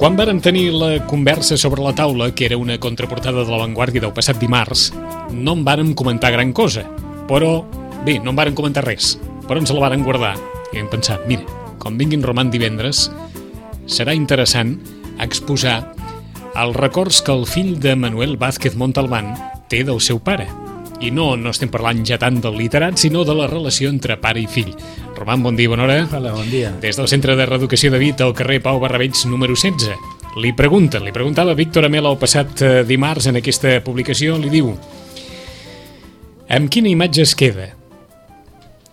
Quan vàrem tenir la conversa sobre la taula, que era una contraportada de La Vanguardia del passat dimarts, no en vàrem comentar gran cosa, però bé, no en vàrem comentar res, però ens la vàrem guardar i hem pensat, mira, com vinguin Roman divendres, serà interessant exposar els records que el fill de Manuel Vázquez Montalbán té del seu pare. I no estem parlant ja tant del literat, sinó de la relació entre pare i fill. Roman, bon dia, bona hora. Hola, bon dia. Des del Centre de Reeducació de Vit, al carrer Pau Barravells, número 16. Li preguntava Víctor Amela el passat dimarts en aquesta publicació, li diu: amb quina imatge es queda?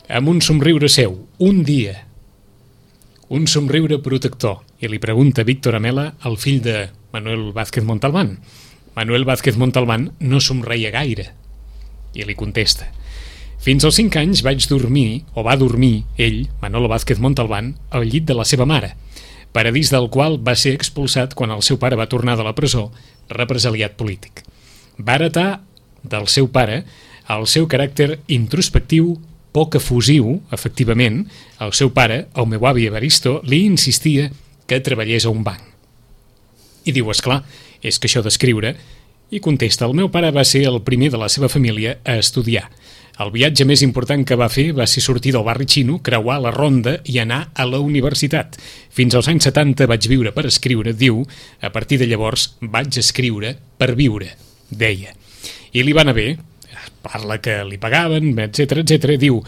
Amb un somriure seu, un dia. Un somriure protector. I li pregunta Víctor Amela al fill de Manuel Vázquez Montalbán. Manuel Vázquez Montalbán no somreia gaire. I li contesta: fins als 5 anys vaig dormir, o va dormir, ell, Manolo Vázquez Montalbán, al llit de la seva mare, paradís del qual va ser expulsat quan el seu pare va tornar de la presó, represaliat polític. Va heretar del seu pare el seu caràcter introspectiu, poc efusiu, efectivament. El seu pare, el meu avi Evaristo, li insistia que treballés a un banc. I diu, esclar, és que això d'escriure... I contesta, el meu pare va ser el primer de la seva família a estudiar. El viatge més important que va fer va ser sortir del barri xino, creuar la ronda i anar a la universitat. Fins als anys 70 vaig viure per escriure, diu, a partir de llavors vaig escriure per viure, deia. I li va anar bé, parla que li pagaven, etc etc. Diu,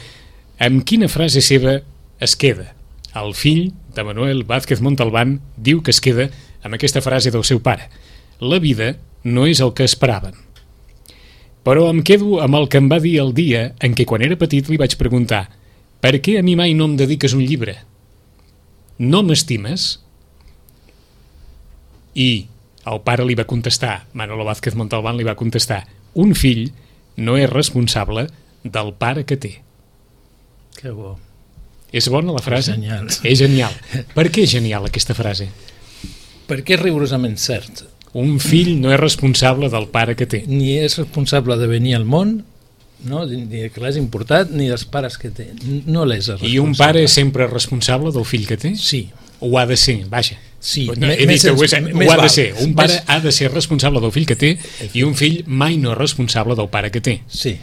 amb quina frase seva es queda? El fill de Manuel Vázquez Montalbán diu que es queda amb aquesta frase del seu pare. La vida no és el que esperaven. Però em quedo amb el que em va dir el dia en què quan era petit li vaig preguntar: per què a mi mai no em dediques un llibre? No m'estimes? I el pare li va contestar, Manolo Vázquez Montalbán li va contestar: un fill no és responsable del pare que té. Que bo. És bona la frase? És genial. És genial. Per què és genial aquesta frase? Perquè és rigorosament cert. Un fill no és responsable del pare que té. Ni és responsable de venir al món, no? Ni que l'has importat, ni dels pares que té. No l'és responsable. I un pare és sempre responsable del fill que té? Sí. O ha de ser, vaja. Sí. No, he dit que ho ha de ser. Un pare ha de ser responsable del fill que té i un fill mai no és responsable del pare que té. Sí.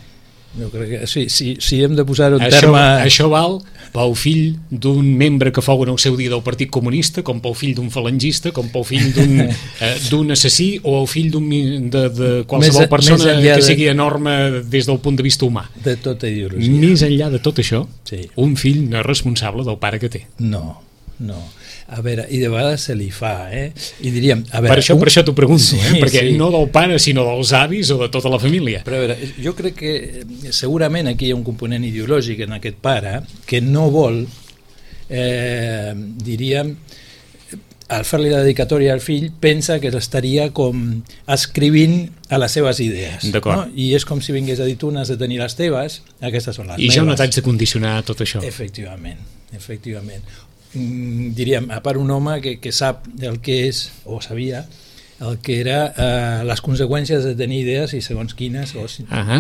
Jo crec que sí, si hem de posar-ho en terme... Això val pel fill d'un membre que fou en el seu dia del Partit Comunista, com pel fill d'un falangista, com pel fill d'un assassí o el fill de qualsevol persona que sigui enorme des del punt de vista humà. De tota ideologia. Més enllà de tot això, sí. Un fill no és responsable del pare que té. No. A veure, i de vegades se li fa, I diríem... A veure, per això t'ho pregunto, sí, perquè sí. No del pare, sinó dels avis o de tota la família. Però a veure, jo crec que segurament aquí hi ha un component ideològic en aquest pare que no vol, diríem, al fer-li la dedicatòria al fill, pensa que l'estaria com escrivint a les seves idees. D'acord. No? I és com si vingués a dir tu n'has de tenir les teves, aquestes són les meves. I jo no t'haig de condicionar tot això. Efectivament. Diríem, a part un home que sap el que és, o sabia, el que era les conseqüències de tenir idees i segons quines,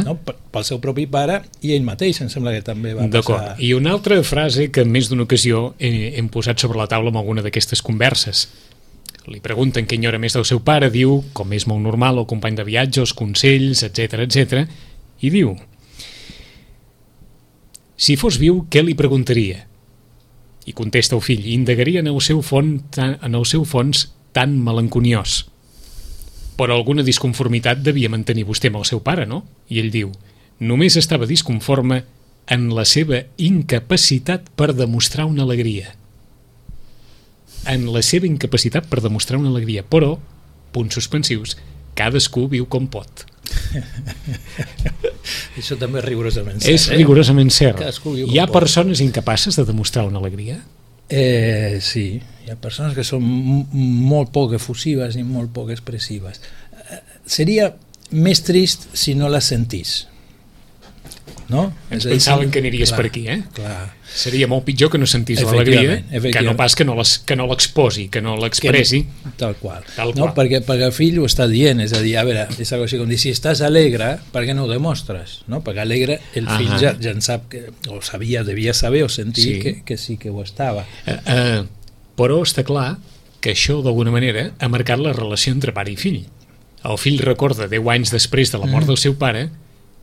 no? Pel seu propi pare i ell mateix, em sembla que també va passar. D'acord, i una altra frase que en més d'una ocasió hem posat sobre la taula en alguna d'aquestes converses. Li pregunten què enyora més del seu pare, diu, com és molt normal, el company de viatge, els consells, etc, i diu: si fos viu, què li preguntaria? I contesta el fill: indagaria en el seu fons tan melanconiós. Però alguna disconformitat devia mantenir vostè amb el seu pare, no? I ell diu: només estava disconforme en la seva incapacitat per demostrar una alegria. En la seva incapacitat per demostrar una alegria. Però, punts suspensius, cadascú viu com pot. Això també és rigorosament cert. És rigorosament cert. Hi ha persones incapaces de demostrar una alegria? Sí, hi ha persones que són molt poc efusives i molt poc expressives. Seria més trist si no les sentís. No? Ens pensaven que aniries per aquí, Clar. Seria molt pitjor que no sentís l'alegria, que no pas que no l'exposi, que no l'expressi. Tal qual. No, perquè el fill ho està dient, és a dir, a veure, és una cosa com dir, si estàs alegre, per què no ho demostres? No? Perquè alegre el fill ja en sap, o sabia, devia saber o sentir que sí que ho estava. Però està clar que això, d'alguna manera, ha marcat la relació entre pare i fill. El fill recorda 10 anys després de la mort del seu pare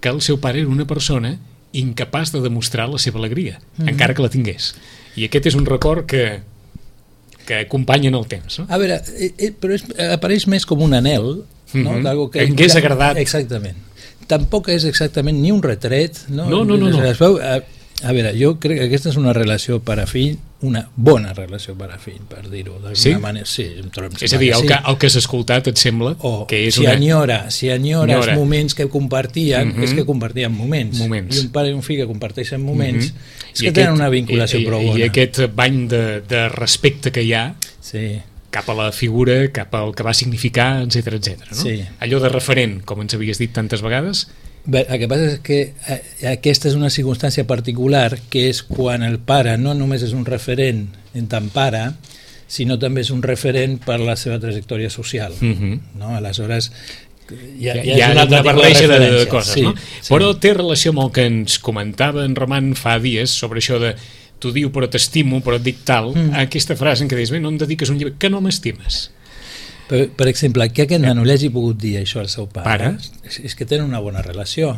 que el seu pare era una persona incapaç de demostrar la seva alegria, encara que la tingués. I aquest és un record que acompanya en el temps. No? A veure, però apareix més com un anhel, no? D'algo que en què és agradat. Exactament. Tampoc és exactament ni un retret. No. A veure, jo crec que aquesta és una relació pare-fill, una bona relació pare-fill, per dir-ho d'alguna manera. Sí, és a dir, el que has escoltat et sembla que és si enyora els moments que compartien, és que compartien moments. I un pare i un fill que comparteixen moments, és que tenen una vinculació prou bona. I aquest bany de respecte que hi ha cap a la figura, cap al que va significar, etc. No? Sí. Allò de referent, com ens havies dit tantes vegades. Bé, el que passa és que aquesta és una circumstància particular, que és quan el pare no només és un referent en tant pare, sinó també és un referent per la seva trajectòria social. No? Aleshores, hi ha una altra barreja de coses. No? Però té relació amb el que ens comentava en Roman fa dies sobre això de t'ho diu però t'estimo, però et dic tal, aquesta frase en què dius, bé, no em dediques un llibre, que no m'estimes. Per exemple, que aquest nano li hagi pogut dir això al seu pare? És que tenen una bona relació.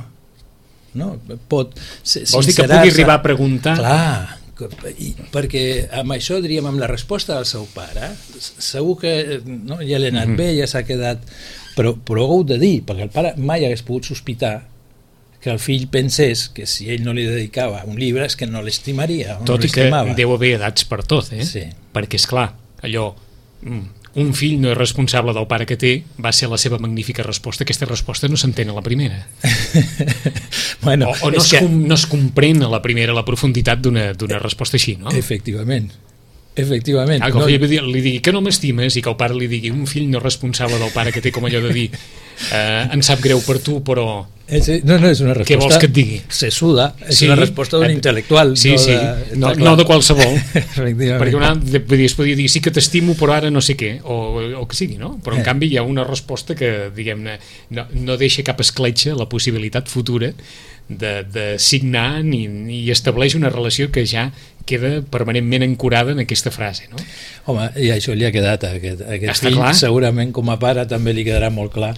No? Vols dir que pugui arribar a preguntar? Clar, perquè amb això, diríem, amb la resposta del seu pare, segur que ja l'ha anat bé, ja s'ha quedat... Però ho ha hagut de dir, perquè el pare mai hagués pogut sospitar que el fill pensés que si ell no li dedicava un llibre és que no l'estimaria. Tot i que deu haver edats per tot, perquè és clar, allò... Un fill no és responsable del pare que té, va ser la seva magnífica resposta. Aquesta resposta no s'entén a la primera. Bueno, o no es comprèn a la primera la profunditat d'una resposta així, no? Efectivament. Que el fill li digui que no m'estimes i que el pare li digui un fill no responsable del pare que té com allò de dir em sap greu per tu, però... No, és una resposta... Què vols que et digui? Se suda, és una resposta d'un intel·lectual. No de qualsevol. Perquè es podria dir sí que t'estimo però ara no sé què, o que sigui, no? Però en canvi hi ha una resposta que, diguem-ne, no deixa cap escletxa la possibilitat futura de signar i estableix una relació que ja queda permanentment ancorada en aquesta frase, no? Home, i això li ha quedat a aquest fill, segurament com a pare també li quedarà molt clar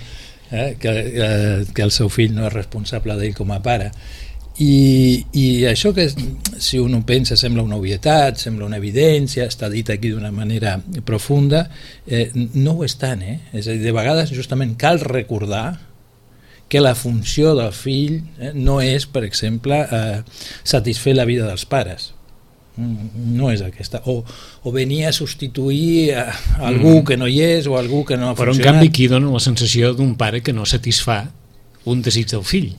que el seu fill no és responsable d'ell com a pare. I això que si un ho pensa sembla una obvietat, sembla una evidència, està dit aquí d'una manera profunda, no ho és tant, és a dir, de vegades justament cal recordar que la funció del fill no és, per exemple, satisfer la vida dels pares. No és aquesta. O venir a substituir algú que no hi és o algú que no ha funcionat. Però en canvi aquí dona la sensació d'un pare que no satisfà un desig del fill.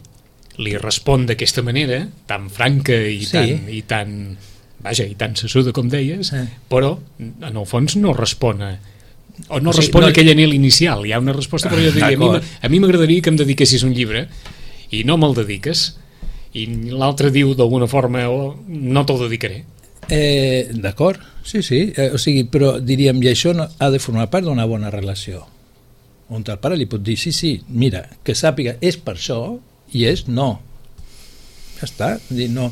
Li respon d'aquesta manera, tan franca i tan sessuda com deies, però en el fons no respon a aquell anhel inicial. Hi ha una resposta, però jo diria, a mi m'agradaria que em dediquessis un llibre i no me'l dediques, i l'altre diu d'alguna forma no te'l dedicaré. D'acord, sí, o sigui, però diríem, i això ha de formar part d'una bona relació, on el pare li pot dir sí, mira, que sàpiga, és per això i és no, ja està, no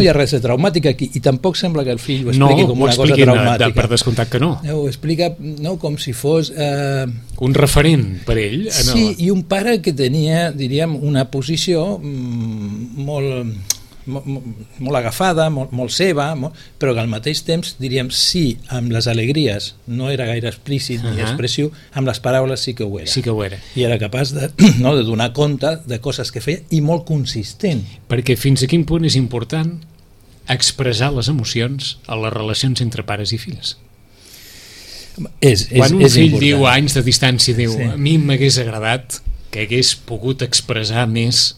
hi ha res de traumàtic aquí, i tampoc sembla que el fill ho expliqui com una cosa traumàtica. Per descomptat que no. Ho explica com si fos un referent per ell. Sí, i un pare que tenia, diríem, una posició molt agafada, molt seva, però que al mateix temps, diríem, sí, amb les alegries no era gaire explícit ni expressiu, amb les paraules sí que ho era. Sí que ho era. I era capaç de donar compte de coses que feia i molt consistent. Perquè fins a quin punt és important expressar les emocions a les relacions entre pares i fills? Quan un fill diu a anys de distància, diu, a mi m'hagués agradat que hagués pogut expressar més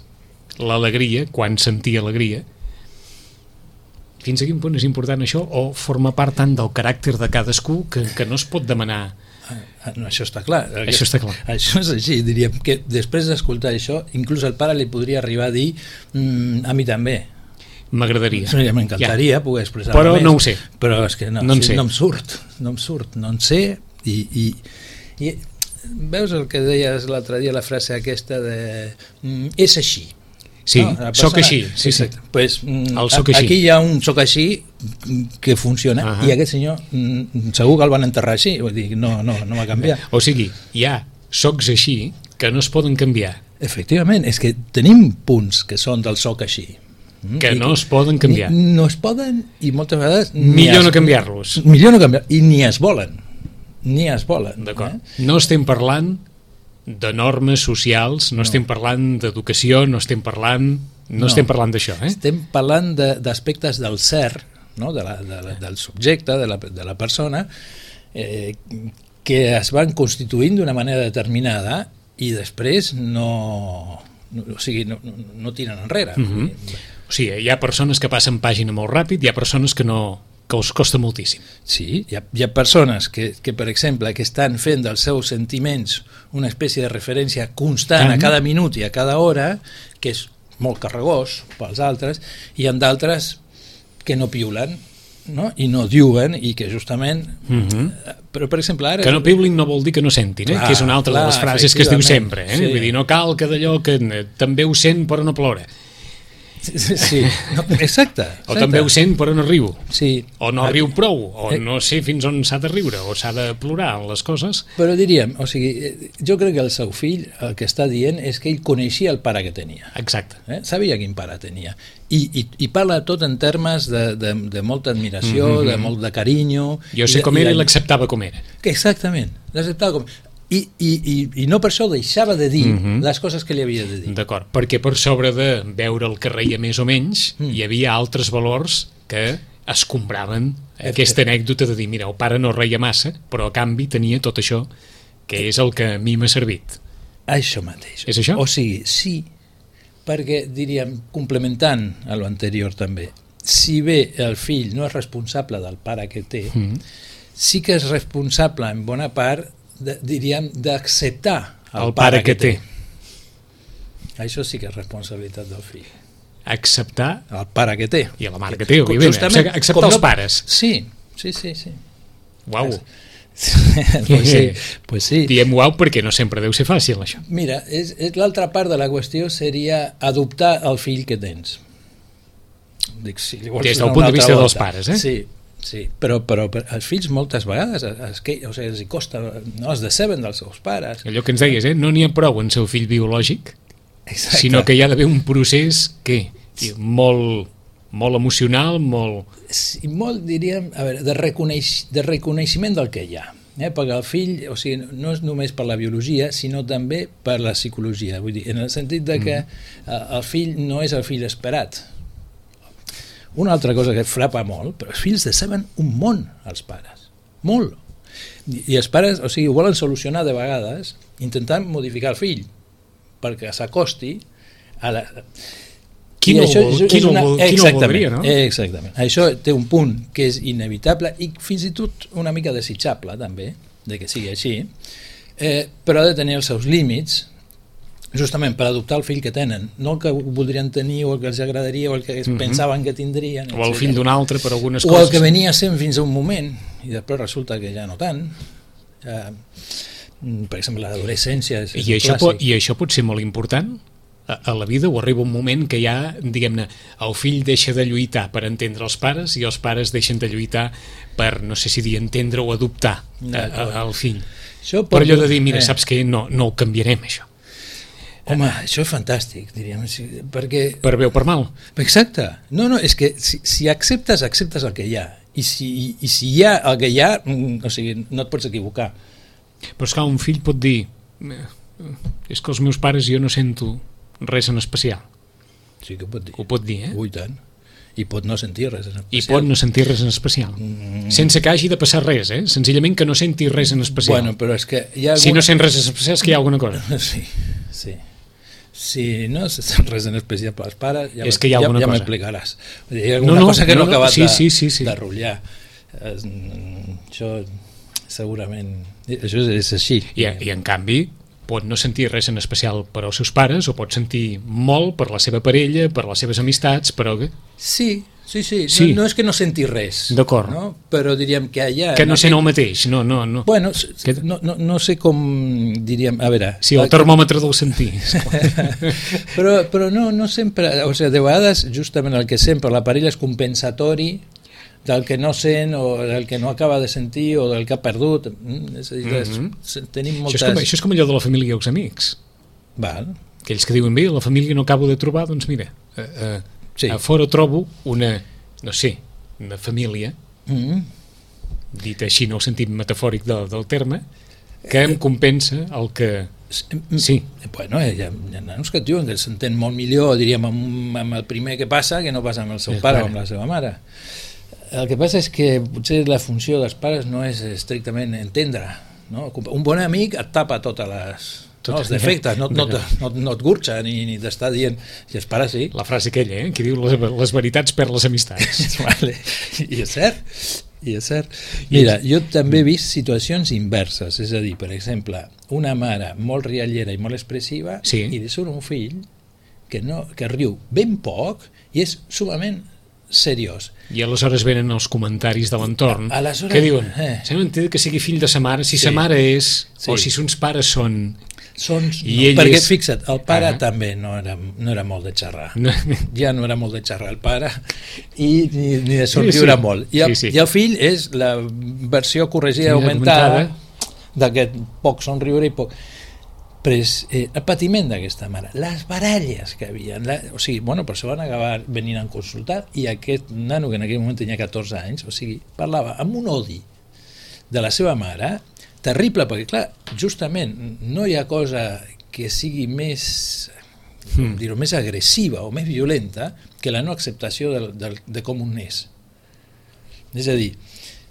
l'alegria, quan sentia alegria, fins a quin punt és important això, o forma part tant del caràcter de cadascú que no es pot demanar? No, això està clar. Això està clar. Això és així, diríem que després d'escoltar això, inclús el pare li podria arribar a dir a mi també. M'agradaria. M'encantaria poder expressar però més. No ho sé. Però és que no em surt, no en sé, i veus el que deies l'altre dia, la frase aquesta de és així. Sí, soc així. Sí, sí. Pues, aquí hi ha un soc així que funciona i aquest senyor segur que el van enterrar així, vull dir, no va canviar. O sigui, hi ha socs així que no es poden canviar. Efectivament, és que tenim punts que són del soc així. Que no es poden canviar. No es poden i moltes vegades... Millor no canviar-los. Millor no canviar, i ni es volen. Ni es volen. D'acord. No estem parlant de normes socials, no estem parlant d'educació, no estem parlant d'això. Estem parlant d'aspectes del ser, no? Del subjecte, de la persona, que es van constituint d'una manera determinada i després no tiren enrere. O sigui, hi ha persones que passen pàgina molt ràpid, hi ha persones que us costa moltíssim. Sí, hi ha persones que, per exemple, que estan fent dels seus sentiments una espècie de referència constant a cada minut i a cada hora, que és molt carregós pels altres, i hi ha d'altres que no piulen, no? I no diuen, i que justament... Però, per exemple, ara... Que no piulin no vol dir que no sentin, que és una altra de les frases que es diu sempre. Sí. Vull dir, no cal que d'allò que també ho sent però no plora. Sí, exacte. O també ho sent però no riu. Sí. O no riu prou, o no sé fins on s'ha de riure, o s'ha de plorar en les coses. Però diríem, o sigui, jo crec que el seu fill el que està dient és que ell coneixia el pare que tenia. Exacte. Sabia quin pare tenia. I parla tot en termes de molta admiració, de molt de carinyo. Jo sé com era i l'acceptava com era. Exactament, l'acceptava com era. I no per això deixava de dir les coses que li havia de dir. D'acord, perquè per sobre de veure el que reia més o menys, hi havia altres valors que escombraven aquesta anècdota de dir, mira, el pare no reia massa, però a canvi tenia tot això, que és el que a mi m'ha servit. Això mateix. És això? O sigui, sí, perquè, diríem, complementant a l'anterior també, si bé el fill no és responsable del pare que té, sí que és responsable en bona part diríem, d'acceptar el pare que té. Això sí que és responsabilitat del fill. Acceptar el pare que té. I la mare que té, òbviament. Acceptar els pares. Sí. Uau. Pues sí. Diem uau perquè no sempre deu ser fàcil, això. Mira, l'altra part de la qüestió seria adoptar el fill que tens. Dic, si li vols des del punt de vista dels pares, Sí, però els fills moltes vegades els hi costa, no es deceben dels seus pares. Allò que ens deies, no n'hi ha prou en seu fill biològic, sinó que hi ha d'haver un procés molt emocional, molt, diríem, a veure, de reconeixement del que hi ha. Perquè el fill, o sigui, no és només per la biologia, sinó també per la psicologia. Vull dir, en el sentit de que el fill no és el fill esperat. Una altra cosa que frapa molt, però els fills deceben un món als pares, molt. I els pares, o sigui, ho volen solucionar de vegades intentant modificar el fill perquè s'acosti a la... Qui no ho voldria, no? Exactament. Això té un punt que és inevitable i fins i tot una mica desitjable, també, de que sigui així, però ha de tenir els seus límits, justament per adoptar el fill que tenen, no el que voldrien tenir o el que els agradaria o el que pensaven que tindrien, o el fill d'un altre per algunes coses, o el que venia sent fins a un moment i després resulta que ja no tant. Per exemple, l'adolescència és I això pot ser molt important a la vida, o arriba un moment que ja, diguem-ne, el fill deixa de lluitar per entendre els pares i els pares deixen de lluitar per, no sé si dir, entendre o adoptar el fill. Per allò de dir, mira, saps què, no ho canviarem, això. Home, això és fantàstic, diríem, perquè... Per bé o per mal. Exacte. No, és que si acceptes el que hi ha. I si hi ha el que hi ha, o sigui, no et pots equivocar. Però esclar, un fill pot dir, és que els meus pares jo no sento res en especial. Sí que ho pot dir. Ho pot dir, Ui, tant. I pot no sentir res en especial. I pot no sentir res en especial. Sense que hagi de passar res, senzillament que no senti res en especial. Bueno, però és que hi ha Si no sent res en especial és que hi ha alguna cosa. Sí. Si no se sent res en especial pels pares, ja m'explicaràs. Hi ha alguna cosa que no ha acabat de rotllar. Això segurament... Això és així. I en canvi pot no sentir res en especial per als seus pares o pot sentir molt per la seva parella, per les seves amistats, però... Sí, Sí. No és que no senti res. D'acord. No? Però diríem que allà... Que no sent el mateix, no. Bueno, no sé com diríem... A veure... Sí, el termòmetre del sentir. però no sempre... O sigui, de vegades, justament el que sempre l'aparell és compensatori del que no sent o del que no acaba de sentir o del que ha perdut. És a dir, tenim moltes... Això és com allò de la família i els amics. Val. Aquells que diuen, bé, la família no acabo de trobar, doncs mira... Sí. A fora trobo una família, dit així en el sentit metafòric del terme, que em compensa el que... Sí. Bueno, hi ha nanos que et diuen que s'entén molt millor, diríem, amb el primer que passa que no passa amb el seu pare o amb la seva mare. El que passa és que potser la funció dels pares no és estrictament entendre, no? Un bon amic et tapa totes les... els defectes, no et gurxa ni t'està dient, si els pares sí. La frase aquella, que diu les veritats per les amistats. Vale. I és cert. Mira, jo també he vist situacions inverses, és a dir, per exemple, una mare molt riallera i molt expressiva i li surt un fill que riu ben poc i és sumament seriós. I aleshores venen els comentaris de l'entorn que diuen, s'ha d'entendre que sigui fill de sa mare, si sa mare és, o si sons pares són... perquè fixa't, el pare també no era molt de xerrar, ja no era molt de xerrar el pare i ni de somriure molt i el fill és la versió corregida augmentada d'aquest poc somriure i poc... Però és el patiment d'aquesta mare, les baralles que havia, o sigui, bueno, per això van acabar venint a consultar i aquest nano que en aquell moment tenia 14 anys, o sigui, parlava amb un odi de la seva mare terrible, perquè clar, justament no hi ha cosa que sigui més més agressiva o més violenta que la no acceptació de com un és. És a dir,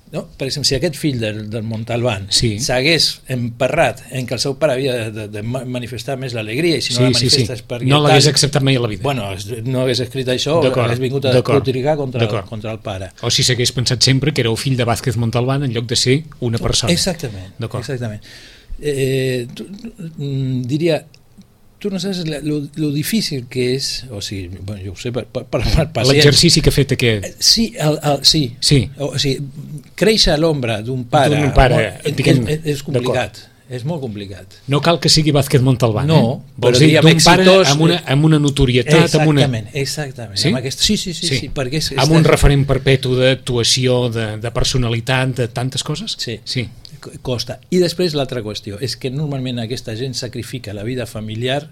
no? Per exemple, si aquest fill del Montalbán s'hagués emperrat en que el seu pare havia de manifestar més l'alegria i si no la manifesta és perquè... No l'hagués acceptat mai a la vida. Bueno, no hagués escrit això o hagués vingut a criticar contra el pare. O si s'hagués pensat sempre que era el fill de Vázquez Montalbán en lloc de ser una persona. Exactament. Diria... Tu no saps lo difícil que és, o sigui, bueno, jo ho sé per pacients... L'exercici que ha fet aquest... Sí. O sigui, créixer a l'ombra d'un pare és complicat, és molt complicat. No cal que sigui Vázquez Montalbán, vols dir d'un pare amb una notorietat... Exactament. Sí, perquè amb un referent perpetu d'actuació, de personalitat, de tantes coses? Sí. Costa. I després l'altra qüestió és que normalment aquesta gent sacrifica la vida familiar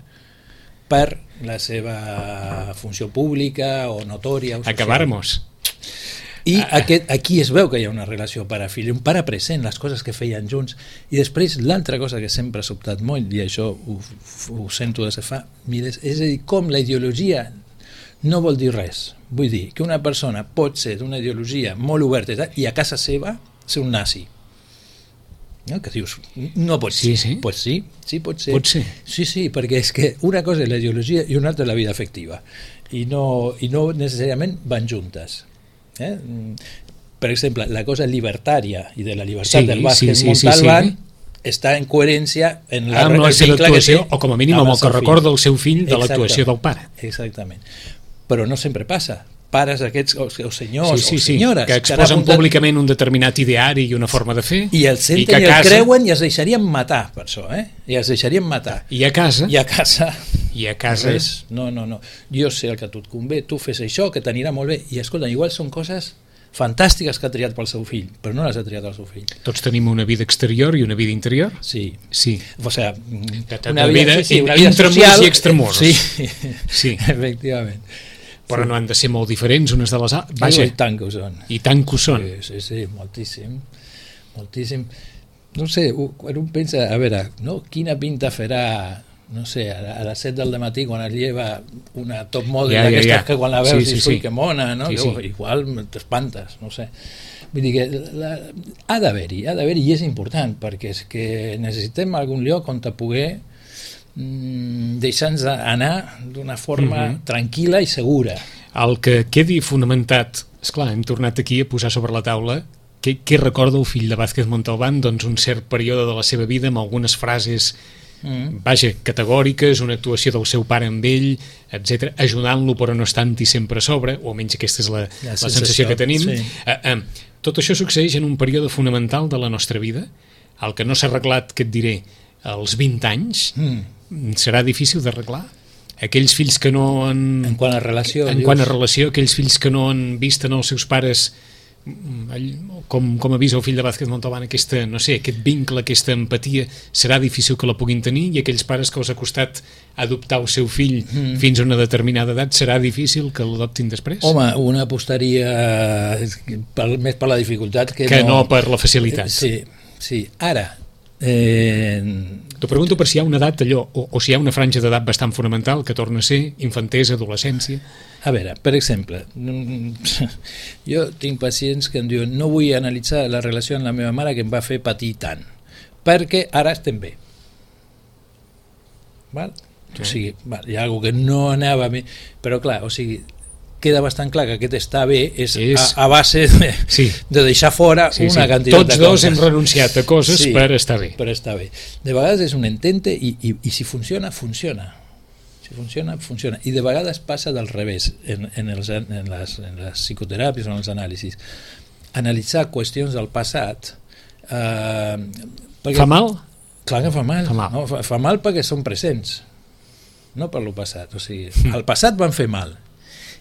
per la seva funció pública o notòria o social. Acabáramos. I aquí es veu que hi ha una relació pare-fill, un pare present, les coses que feien junts, i després l'altra cosa que sempre ha sobtat molt, i això ho sento des de fa milers, és a dir, com la ideologia no vol dir res. Vull dir que una persona pot ser d'una ideologia molt oberta i a casa seva ser un nazi. No? Que dius, no pot ser. Sí, pues sí, pot ser. Pot ser. Sí, perquè és que una cosa és la ideologia i una altra és la vida afectiva i no necessàriament van juntes. Per exemple, la cosa libertària i de la llibertat del Vázquez Montalbán està en coherència en la seva actuació, o com a mínim amb el que recorda el seu fill de l'actuació del pare. Exactament. Però no sempre passa. Pares aquests, o senyors o senyores que exposen públicament un determinat ideari i una forma de fer i el senten i el creuen i es deixarien matar per això, i es deixarien matar i a casa res, no, jo sé el que a tu et convé, tu fes això que t'anirà molt bé, i escolta, igual són coses fantàstiques que ha triat pel seu fill, però no les ha triat el seu fill. Tots tenim una vida exterior i una vida interior? Sí. O sigui, una vida intramurs i extramurs. Sí, efectivament. Però no han de ser molt diferents unes de les altres. I tant que ho són. I tant que ho són. Sí, moltíssim. No sé, quan un pensa, a veure, quina pinta farà, no sé, a les 7 del matí quan es lleva una top model d'aquestes que quan la veus dius, ui, que mona, no? Igual t'espantes, no sé. Vull dir que ha d'haver-hi, i és important, perquè és que necessitem algun lloc on te poder deixar-nos anar d'una forma tranquil·la i segura. El que quedi fonamentat, esclar, hem tornat aquí a posar sobre la taula què recorda el fill de Vázquez Montalbán, doncs un cert període de la seva vida amb algunes frases vaja, categòriques, una actuació del seu pare amb ell, etc, ajudant-lo però no estant-hi sempre a sobre, o almenys aquesta és la sensació que tenim. Tot això succeeix en un període fonamental de la nostra vida, el que no s'ha arreglat, que et diré, als 20 anys, serà difícil d'arreglar. Aquells fills que no han... En quant a relació, aquells fills que no han vist en els seus pares, com avisa el fill de Vázquez Montalbán, aquest vincle, aquesta empatia, serà difícil que la puguin tenir, i aquells pares que els ha costat adoptar el seu fill fins a una determinada edat, serà difícil que l'adoptin després? Home, una apostaria més per la dificultat que no per la facilitat. Sí. Ara, t'ho pregunto per si hi ha una edat allò, o si hi ha una franja d'edat bastant fonamental que torna a ser infantesa, adolescència. A veure, per exemple, jo tinc pacients que em diuen no vull analitzar la relació amb la meva mare que em va fer patir tant, perquè ara estem bé. Val? O sigui, hi ha alguna que no anava bé, però clar, o sigui, queda bastant clar que aquest està bé és a base de deixar fora una quantitat de coses. Tots dos hem renunciat a coses per estar bé. Per estar bé. De vegades és un intente i si funciona, funciona. Si funciona, funciona. I de vegades passa del revés en les psicoteràpies o en els anàlisis. Analitzar qüestions del passat... Fa mal? Clar que fa mal. No? Fa mal perquè són presents, no per lo passat. O sigui, al passat van fer mal.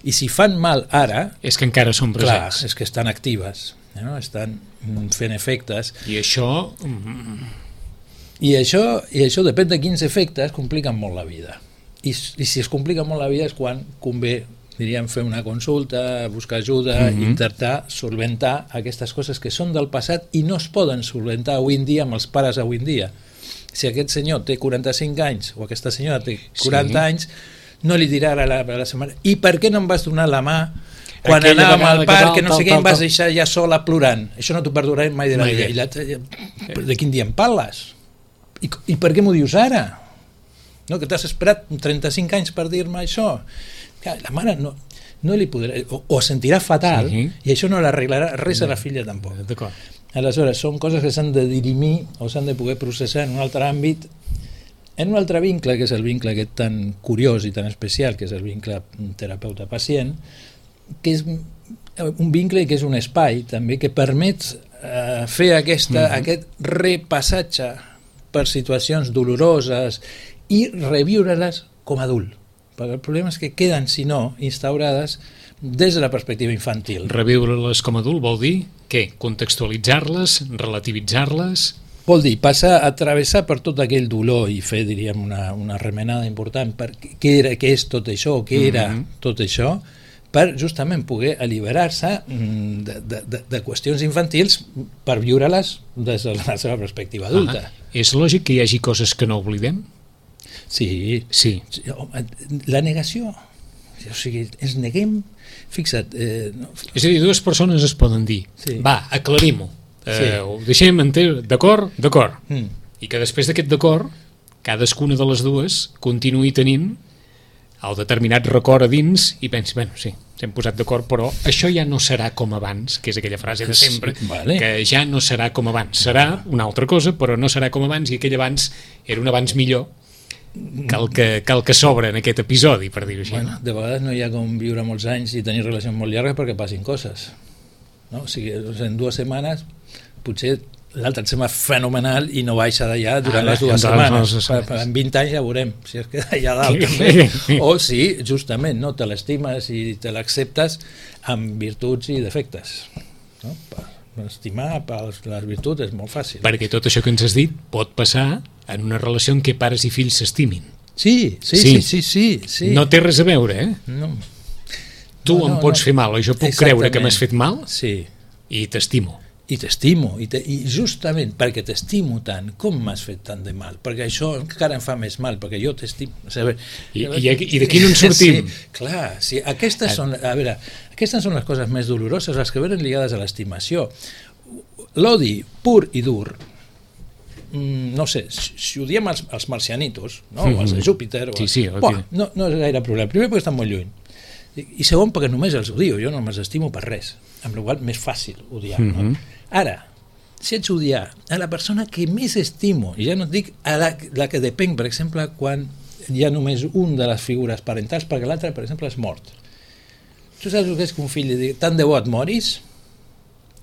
I si fan mal ara... És que encara són presents. Clar, és que estan actives, no? Estan fent efectes. I això... I això depèn de quins efectes compliquen molt la vida. I si es complica molt la vida és quan convé, diríem, fer una consulta, buscar ajuda, intentar solventar aquestes coses que són del passat i no es poden solventar avui en dia amb els pares avui en dia. Si aquest senyor té 45 anys o aquesta senyora té 40 anys, no li dirà a la setmana i per què no em vas donar la mà quan anàvem al parc, que no sé què, em vas deixar ja sola plorant? Això no t'ho perdonaré mai de la vida. De quin dia em parles? I per què m'ho dius ara? No, que t'has esperat 35 anys per dir-me això. Clar, la mare no li podrà... O sentirà fatal, i això no l'arreglarà res a la filla tampoc. Aleshores, són coses que s'han de dirimir o s'han de poder processar en un altre àmbit, en un altre vincle, que és el vincle aquest tan curiós i tan especial, que és el vincle terapeuta-pacient, que és un vincle que és un espai també que permet fer aquest repassatge per situacions doloroses i reviure-les com a adult, perquè el problema és que queden, si no, instaurades des de la perspectiva infantil. Reviure-les com a adult vol dir què? Contextualitzar-les, relativitzar-les? Vol dir passar a travessar per tot aquell dolor i fer, diríem, una remenada important per què és tot això, o què era tot això, per justament poder alliberar-se de qüestions infantils per viure-les des de la seva perspectiva adulta. És lògic que hi hagi coses que no oblidem? Sí. La negació, o sigui, ens neguem, fixa't... És a dir, dues persones es poden dir, va, aclarim-ho, ho deixem d'acord? D'acord. I que després d'aquest d'acord, cadascuna de les dues continuï tenint el determinat record a dins i pensi, bueno, sí, s'hem posat d'acord, però això ja no serà com abans, que és aquella frase de sempre, que ja no serà com abans. Serà una altra cosa, però no serà com abans, i aquell abans era un abans millor que el que s'obre en aquest episodi, per dir-ho així. Bueno, de vegades no hi ha com viure molts anys i tenir relacions molt llargues perquè passin coses. No? O sigui, en 2 setmanes potser l'altre et sembla fenomenal i no baixa d'allà durant les 2 setmanes. En 20 anys ja veurem si es queda allà dalt també. O si, justament, no te l'estimes i te l'acceptes amb virtuts i defectes. No? Estimar les virtuts és molt fàcil. Perquè tot això que ens has dit pot passar en una relació en què pares i fills s'estimin. Sí. No té res a veure, No. Tu em pots fer mal, o jo puc creure que m'has fet mal, i t'estimo. I t'estimo, i justament perquè t'estimo tant, com m'has fet tant de mal? Perquè això encara em fa més mal, perquè jo t'estimo. I d'aquí no en sortim? Clar, aquestes són les coses més doloroses, les que venen lligades a l'estimació. L'odi pur i dur, no sé, si odiem els marcianitos, o els de Júpiter, no és gaire problema. Primer perquè estan molt lluny, i segon perquè només els odio, jo no me'ls estimo per res, amb la qual cosa més fàcil odiar. Ara, si haig d'odiar a la persona que més estimo, i ja no et dic a la que depenc, per exemple, quan hi ha només un de les figures parentals perquè l'altre, per exemple, és mort. Tu saps el que és que un fill li digui tant de bo et moris?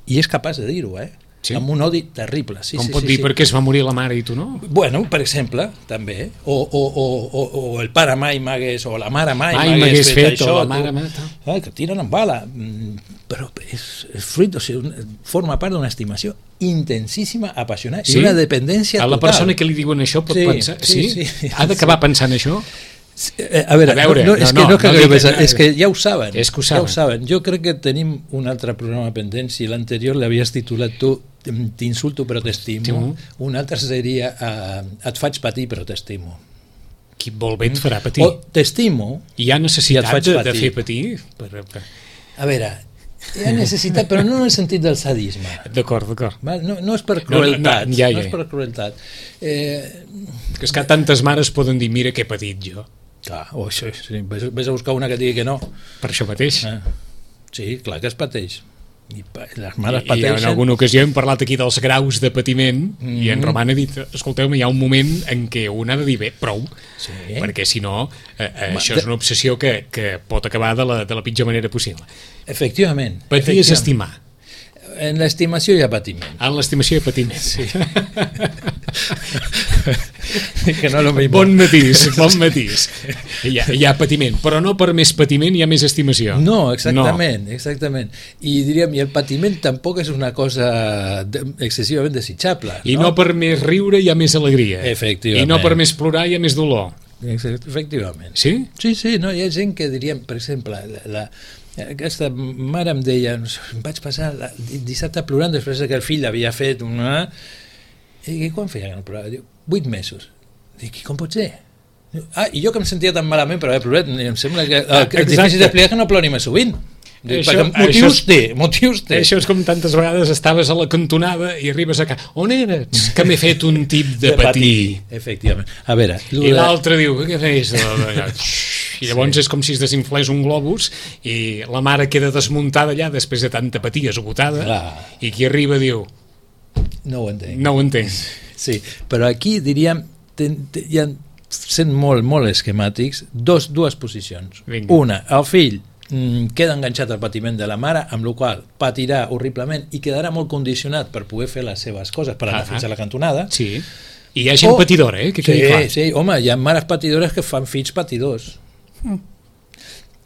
I és capaç de dir-ho, Sí? Amb un odi terrible. Sí, Com pot dir per què es va morir la mare i tu no? Bueno, per exemple, també. O el pare mai m'hagués, o la mare mai m'hagués fet això. O la mare que tiren amb bala. Però és fruit, o sigui, forma part d'una estimació intensíssima, apassionant, i una dependència total. A la persona que li diuen això pot pensar... Sí? Ha d'acabar pensant això? A veure, és que ja ho saben. És que ho saben. Jo crec que tenim un altre programa pendent. Si l'anterior l'havies titulat tu T'insulto però t'estimo, un altre seria Et faig patir però t'estimo. Qui vol bé et farà patir. O t'estimo i hi ha necessitat de fer patir? A veure, hi ha necessitat, però no en el sentit del sadisme. D'acord. No és per crueltat. No és per crueltat. Que és que tantes mares poden dir mira què he patit jo. Clar, sí. Ves a buscar una que digui que no. Per això pateix. Sí, clar que es pateix. I les mares pateixen. I en alguna ocasió hem parlat aquí dels graus de patiment i en Roman ha dit, escolteu-me, hi ha un moment en què un ha de dir bé, prou, perquè si no això és una obsessió que pot acabar de la pitjor manera possible. Efectivament. Patir és estimar. En l'estimació hi ha patiment. En l'estimació hi ha patiment. Sí. Que no lo mismo. Bon matís. Hi ha patiment, però no per més patiment hi ha més estimació. No, exactament. I diríem, i el patiment tampoc és una cosa excessivament desitjable. I no per més riure hi ha més alegria. Efectivament. I no per més plorar hi ha més dolor. Efectivament. Sí? Sí, no, hi ha gent que diríem, per exemple, aquesta mare em deia, em vaig passar dissabte plorant després que el fill havia fet una... I quan feia que no plorava? Diu, 8 mesos. Dic, com pot ser? I jo que em sentia tan malament per haver plorat, em sembla que és difícil d'explicar que no plori més sovint. Perquè motius té. Això és com tantes vegades estaves a la cantonada i arribes a casa. On eres? Que m'he fet un tip de patir. Efectivament. A veure... I l'altre diu, què feies? I llavors és com si es desinflés un globus i la mare queda desmuntada allà després de tanta patir, esgotada, i qui arriba diu... No ho entenc. No ho entenc. Sí, però aquí diríem, sent molt esquemàtics, dues posicions. Vinga. Una, el fill queda enganxat al patiment de la mare, amb la qual patirà horriblement i quedarà molt condicionat per poder fer les seves coses, per anar fins a la cantonada. Sí, i hi ha gent patidora, que quedi clar. Sí, home, hi ha mares patidores que fan fills patidors.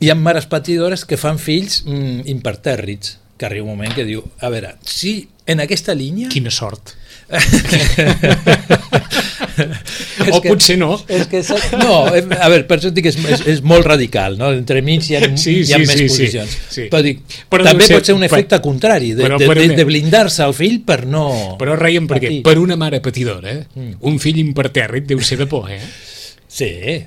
Hi ha mares patidores que fan fills impertèrrits, que arriba un moment que diu, a veure, si en aquesta línia... Quina sort. O potser no. No, a veure, per això dic que és molt radical, no? Entre mig hi ha més posicions. Però dic, també pot ser un efecte contrari, de blindar-se al fill per no... Però reiem perquè per una mare patidora, un fill impertèrrit deu ser de por, Sí,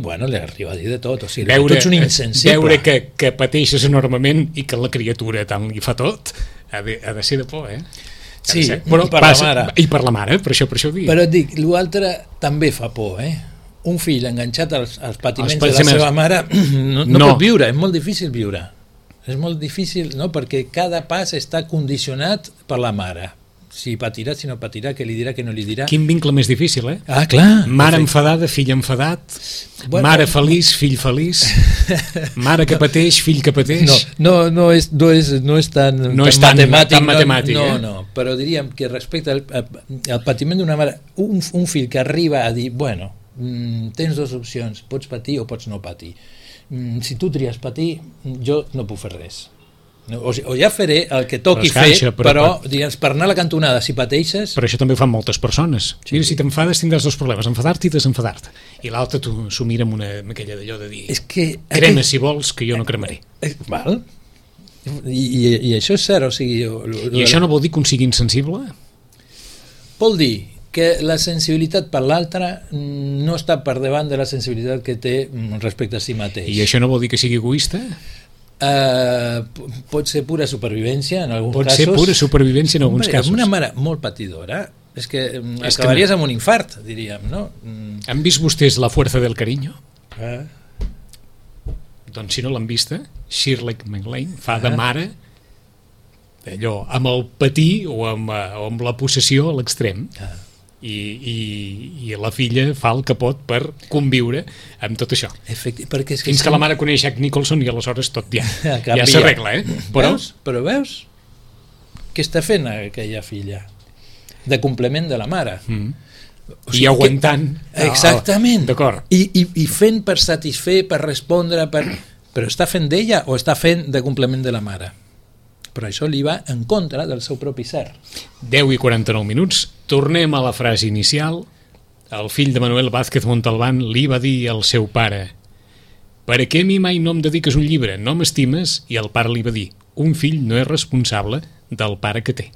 bueno, li arriba a dir de tot, o sigui, tu ets un insensible. Veure que pateixes enormement i que la criatura tant li fa tot, ha de ser de por, Sí, però per la mare. I per la mare, per això ho dic. Però et dic, l'altre també fa por, Un fill enganxat als patiments de la seva mare no pot viure, és molt difícil viure. És molt difícil, no?, perquè cada pas està condicionat per la mare. Si patirà, si no patirà, què li dirà, què no li dirà. Quin vincle més difícil, clar. Mare enfadada, fill enfadat, mare feliç, fill feliç, mare que pateix, fill que pateix. No és tan matemàtic. No, però diríem que respecte al patiment d'una mare, un fill que arriba a dir, bueno, tens dues opcions, pots patir o pots no patir. Si tu tries patir, jo no puc fer res. O ja faré el que toqui fer, però digues, per anar a la cantonada, si pateixes... Però això també ho fan moltes persones. Mira, si t'enfades tindràs dos problemes, enfadar-te i desenfadar-te. I l'altre tu s'ho mira amb aquella d'allò de dir, crema si vols, que jo no cremaré. Val? I això és cert, o sigui... I això no vol dir que un sigui insensible? Vol dir que la sensibilitat per l'altre no està per davant de la sensibilitat que té respecte a si mateix. I això no vol dir que sigui egoista? Pot ser pura supervivència en alguns casos. Pot ser pura supervivència en alguns casos. Una mare molt patidora és que acabaries amb un infart, diríem, no? Han vist vostès La fuerza del cariño? Doncs si no l'han vista, Shirley MacLaine fa de mare allò, amb el patir o amb la possessió a l'extrem. I la filla fa el que pot per conviure amb tot això. Perquè és fins que la mare coneix Jack Nicholson i aleshores tot ja s'arregla, Però veus què està fent aquella filla? De complement de la mare. O sigui, i aguantant. Exactament. D'acord. I fent per satisfer, per respondre, però està fent d'ella o està fent de complement de la mare? Però això li va en contra del seu propi ser. 10:49. Tornem a la frase inicial. El fill de Manuel Vázquez Montalbán li va dir al seu pare: per què a mi mai no em dediques un llibre? No m'estimes? I el pare li va dir: un fill no és responsable del pare que té.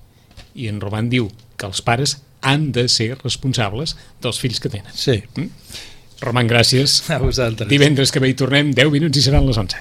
I en Roman diu que els pares han de ser responsables dels fills que tenen. Sí. Roman, gràcies. A vosaltres. Divendres que ve hi tornem, 10 minuts i seran les 11.